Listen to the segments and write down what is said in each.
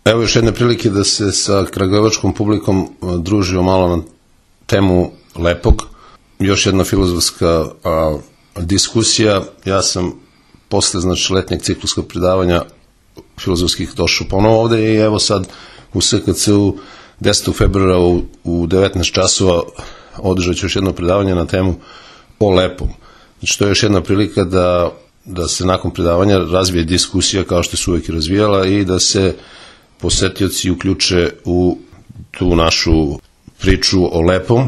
Evo još jedne prilike da se sa kragujevačkom publikom družimo malo na temu lepog. Još jedna filozofska diskusija. Ja sam posle letnjeg cikluskog predavanja filozofskih došao ponovo ovde i evo sad u SKC-u 10. februara u 19 časova održat ću još jedno predavanje na temu o lepom. Znači to je još jedna prilika da se nakon predavanja razvije diskusija kao što se uvijek razvijala i da se posetioci uključe u tu našu priču o lepom.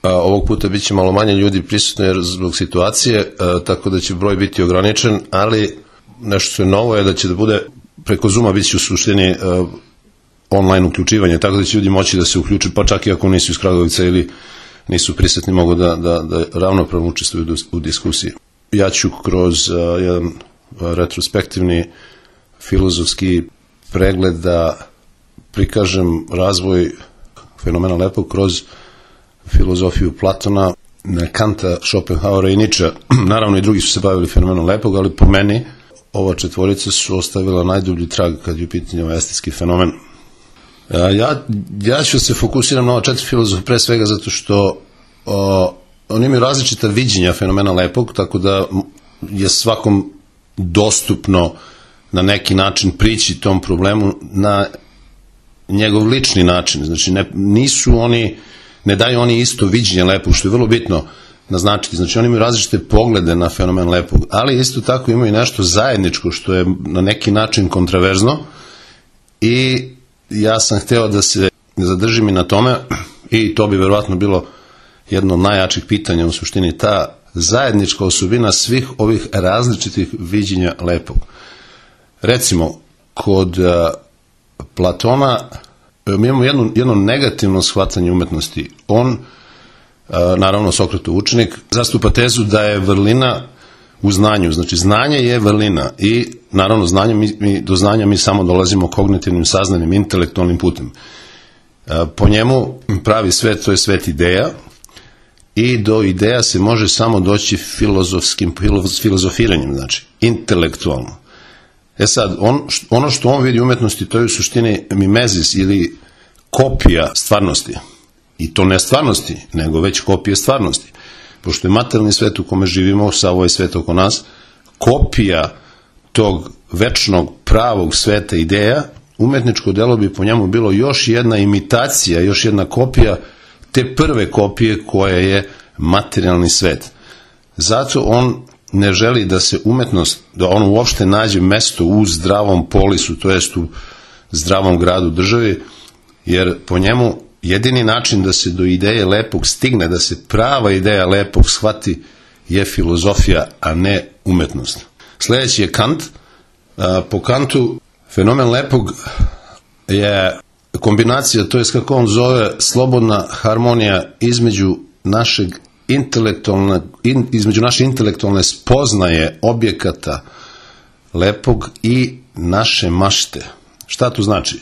Ovog puta bit će malo manje ljudi prisutno jer zbog situacije, tako da će broj biti ograničen, ali nešto što je novo je da će da bude preko Zooma bit će u suštini online uključivanje, tako da će ljudi moći da se uključe, pa čak i ako nisu iz Kragujevaca ili nisu prisutni, mogu da ravnopravno učestvuju u diskusiji. Ja ću kroz jedan retrospektivni filozofski pregled da prikažem razvoj fenomena lepog kroz filozofiju Platona, Kanta, Schopenhauera i Nietzschea. Naravno i drugi su se bavili fenomenom lepog, ali po meni ova četvorica su ostavila najdublji trag kad je u pitanju estetski fenomen. Ja ću se fokusiram na ova četiri filozofa pre svega zato što oni imaju različita viđenja fenomena lepog, tako da je svakom dostupno na neki način prići tom problemu na njegov lični način. Znači ne daju oni isto viđenje lepog, što je vrlo bitno naznačiti. Znači oni imaju različite poglede na fenomen lepog, ali isto tako imaju nešto zajedničko što je na neki način kontraverzno i ja sam hteo da se zadržim i na tome i to bi verovatno bilo jedno od najjačih pitanja u suštini, ta zajednička osobina svih ovih različitih viđenja lepog. Recimo, kod Platona mi imamo jedno negativno shvatanje umetnosti. On, naravno Sokratov učenik, zastupa tezu da je vrlina u znanju. Znači, znanje je vrlina i naravno do znanja mi samo dolazimo kognitivnim, saznanim, intelektualnim putem. Po njemu pravi svet, to je svet ideja i do ideja se može samo doći filozofiranjem, znači intelektualno. Sad, ono što on vidi u umetnosti, to je u suštini mimezis ili kopija stvarnosti. I to ne stvarnosti, nego već kopije stvarnosti. Pošto je materijalni svet u kome živimo, sav ovaj svet oko nas, kopija tog večnog pravog sveta ideja, umetničko delo bi po njemu bilo još jedna imitacija, još jedna kopija te prve kopije koja je materijalni svet. Zato on ne želi da se umetnost, da on uopšte nađe mesto u zdravom polisu, to jest u zdravom gradu državi, jer po njemu jedini način da se do ideje lepog stigne, da se prava ideja lepog shvati, je filozofija, a ne umetnost. Sljedeći je Kant. Po Kantu fenomen lepog je kombinacija, to jest kako on zove, slobodna harmonija između naše intelektualne spoznaje objekata lepog i naše mašte. Šta to znači?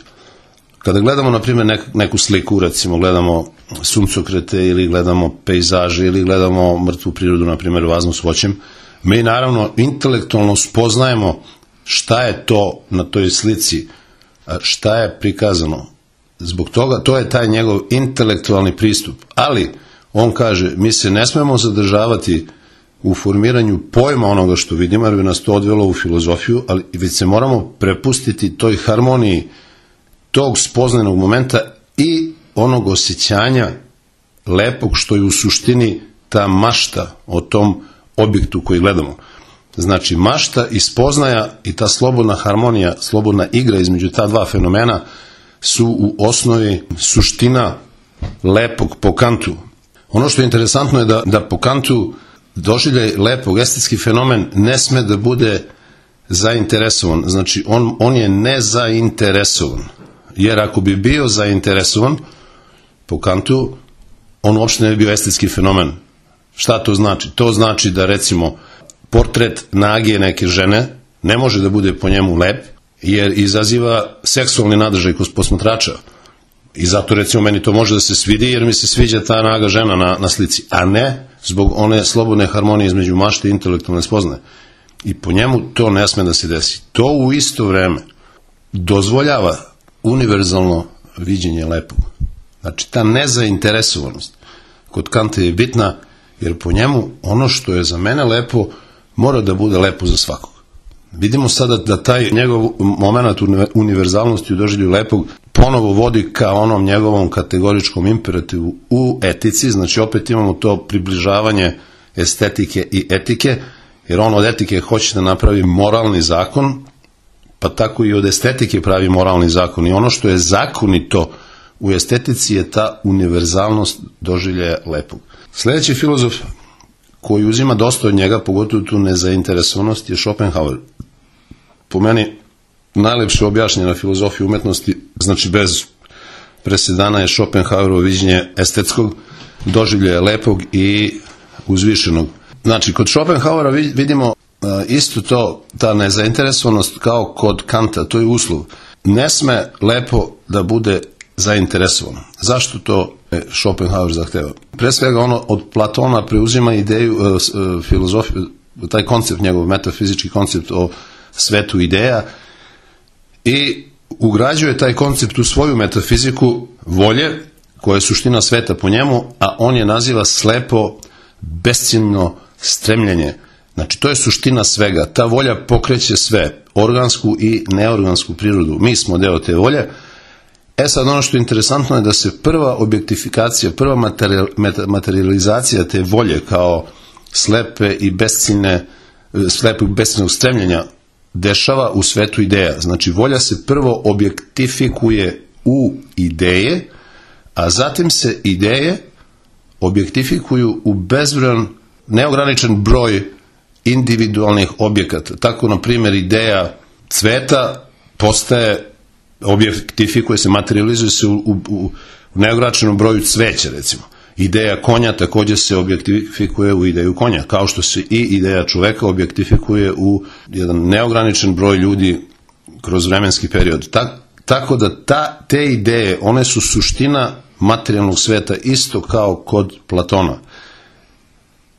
Kada gledamo, na primjer, neku sliku, recimo gledamo suncokrete ili gledamo pejzaže ili gledamo mrtvu prirodu, na primjer, vaznu s voćem, mi naravno intelektualno spoznajemo šta je to na toj slici, šta je prikazano. Zbog toga, to je taj njegov intelektualni pristup. Ali, on kaže, mi se ne smemo zadržavati u formiranju pojma onoga što vidimo, jer bi nas to odvelo u filozofiju, ali već se moramo prepustiti toj harmoniji tog spoznanog momenta i onog osjećanja lepog što je u suštini ta mašta o tom objektu koji gledamo. Znači, mašta i spoznaja i ta slobodna harmonija, slobodna igra između ta dva fenomena su u osnovi suština lepog po Kantu. Ono što je interesantno je da po Kantu doživljaj lepog, estetski fenomen ne sme da bude zainteresovan. Znači, on je nezainteresovan. Jer ako bi bio zainteresovan po Kantu, on uopšte ne bi bio estetski fenomen. Šta to znači? To znači da, recimo, portret nage neke žene ne može da bude po njemu lep, jer izaziva seksualni nadržaj kod posmatrača. I zato, recimo, meni to može da se svidi, jer mi se sviđa ta naga žena na slici, a ne zbog one slobodne harmonije između mašte i intelektualne spoznaje. I po njemu to ne sme da se desi. To u isto vreme dozvoljava univerzalno viđenje lepog. Znači, ta nezainteresovanost kod Kanta je bitna, jer po njemu ono što je za mene lepo mora da bude lepo za svakog. Vidimo sada da taj njegov moment univerzalnosti u doživlju lepog ponovo vodi ka onom njegovom kategoričkom imperativu u etici, znači opet imamo to približavanje estetike i etike, jer on od etike hoće da napravi moralni zakon, pa tako i od estetike pravi moralni zakon. I ono što je zakonito u estetici je ta univerzalnost doživljaja lepog. Sljedeći filozof koji uzima dosta od njega, pogotovo tu nezainteresovanost, je Schopenhauer. Po meni najlepše objašnjena filozofija umetnosti, znači bez presedana, je Schopenhauerovo viđenje estetskog doživljaja lepog i uzvišenog. Znači, kod Schopenhauera vidimo isto to, ta nezainteresovanost kao kod Kanta, to je uslov. Ne sme lepo da bude zainteresovano. Zašto to Schopenhauer zahteva? Pre svega ono od Platona preuzima ideju, filozofiju, taj koncept, njegov metafizički koncept o svetu ideja i ugrađuje taj koncept u svoju metafiziku volje, koja je suština sveta po njemu, a on je naziva slepo, besciljno stremljenje. Znači, to je suština svega. Ta volja pokreće sve, organsku i neorgansku prirodu. Mi smo deo te volje. Sad, ono što je interesantno je da se prva objektifikacija, prva materializacija te volje kao slepe i slepog besciljnog stremljenja dešava u svetu ideja. Znači, volja se prvo objektifikuje u ideje, a zatim se ideje objektifikuju u bezbrojan, neograničen broj individualnih objekata. Tako, na primjer, ideja cveta objektifikuje se, materializuje se u neograničenom broju cveća, recimo. Ideja konja također se objektifikuje u ideju konja, kao što se i ideja čoveka objektifikuje u jedan neograničen broj ljudi kroz vremenski period. Tako da te ideje, one su suština materijalnog sveta, isto kao kod Platona.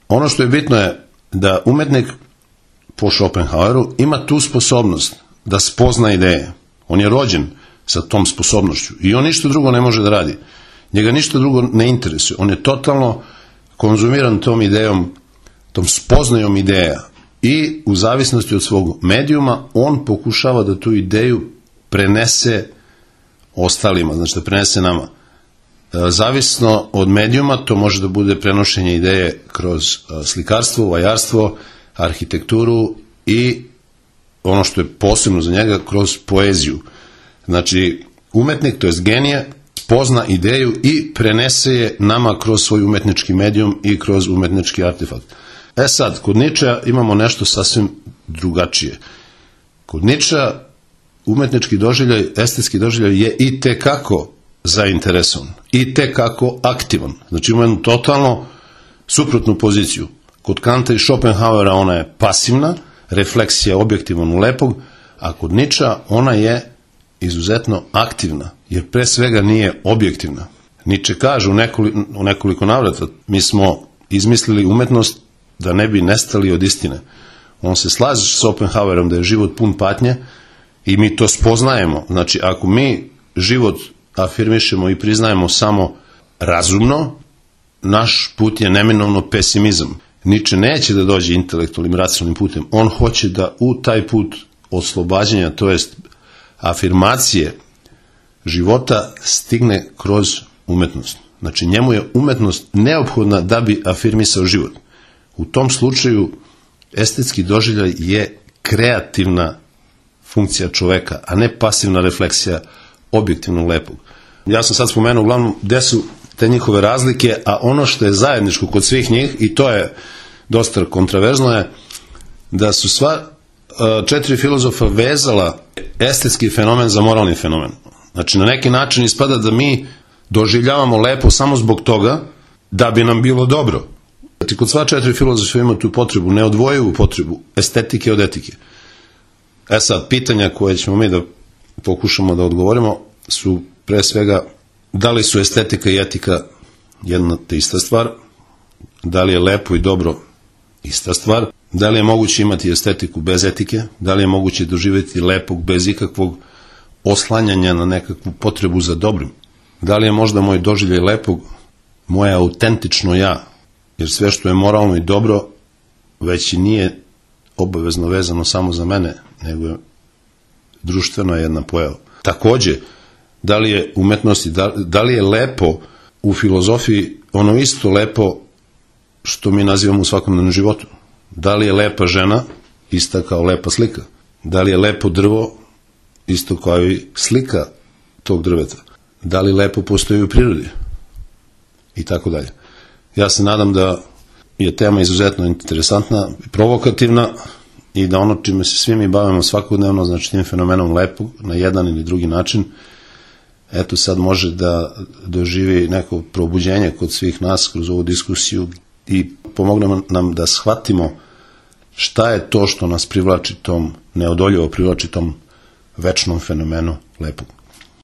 Ono što je bitno je da umetnik po Schopenhaueru ima tu sposobnost da spozna ideje. On je rođen sa tom sposobnošću i on ništa drugo ne može da radi. Njega ništa drugo ne interesuje. On je totalno konzumiran tom idejom, tom spoznajom ideja i u zavisnosti od svog medijuma on pokušava da tu ideju prenese ostalima, znači da prenese nama. Zavisno od medijuma to može da bude prenošenje ideje kroz slikarstvo, vajarstvo, arhitekturu i ono što je posebno za njega kroz poeziju. Znači, umetnik, to jest genije, pozna ideju i prenese je nama kroz svoj umetnički medijum i kroz umetnički artefakt. Sad, kod Nietzschea imamo nešto sasvim drugačije. Kod Nietzschea umetnički doživljaj, estetski doživljaj je i tekako zainteresovan, i tekako aktivan. Znači, imamo jednu totalno suprotnu poziciju. Kod Kanta i Schopenhauera ona je pasivna, refleksija objektivno lepog, a kod Nietzschea ona je izuzetno aktivna, jer pre svega nije objektivna. Nietzsche kaže u nekoliko navrata, mi smo izmislili umetnost da ne bi nestali od istine. On se slaže s Schopenhauerom da je život pun patnje i mi to spoznajemo. Znači, ako mi život afirmišemo i priznajemo samo razumno, naš put je neminovno pesimizam. Nietzsche neće da dođe intelektualnim, racionalnim putem. On hoće da u taj put oslobađanja, to jest afirmacije života, stigne kroz umetnost. Znači, njemu je umetnost neophodna da bi afirmisao život. U tom slučaju estetski doživljaj je kreativna funkcija čoveka, a ne pasivna refleksija objektivnog lepog. Ja sam sad spomenuo uglavnom gde su te njihove razlike, a ono što je zajedničko kod svih njih, i to je dosta kontraverzno, je da su sva 4 filozofa vezala estetski fenomen za moralni fenomen. Znači, na neki način ispada da mi doživljavamo lepo samo zbog toga da bi nam bilo dobro. Znači, kod sva 4 filozofa ima tu potrebu, neodvojivu potrebu estetike od etike. Sad, pitanja koje ćemo mi da pokušamo da odgovorimo su pre svega da li su estetika i etika jedna te ista stvar, da li je lepo i dobro ista stvar, da li je moguće imati estetiku bez etike, da li je moguće doživjeti lepog bez ikakvog oslanjanja na nekakvu potrebu za dobrim? Da li je možda moj doživljaj lepog moje autentično ja? Jer sve što je moralno i dobro već i nije obavezno vezano samo za mene, nego je društvena jedna pojava. Takođe, da li je umetnosti, da li je lepo u filozofiji ono isto lepo što mi nazivamo u svakodnevnom životu? Da li je lepa žena ista kao lepa slika? Da li je lepo drvo isto kao i slika tog drveta? Da li lepo postoji u prirodi? I tako dalje. Ja se nadam da je tema izuzetno interesantna, provokativna i da ono čime se svi mi bavimo svakodnevno, znači tim fenomenom lepog na jedan ili drugi način, eto sad može da doživi neko probuđenje kod svih nas kroz ovu diskusiju i pomogne nam da shvatimo šta je to što nas privlači tom, neodoljivo privlači tom večnom fenomenu lepog.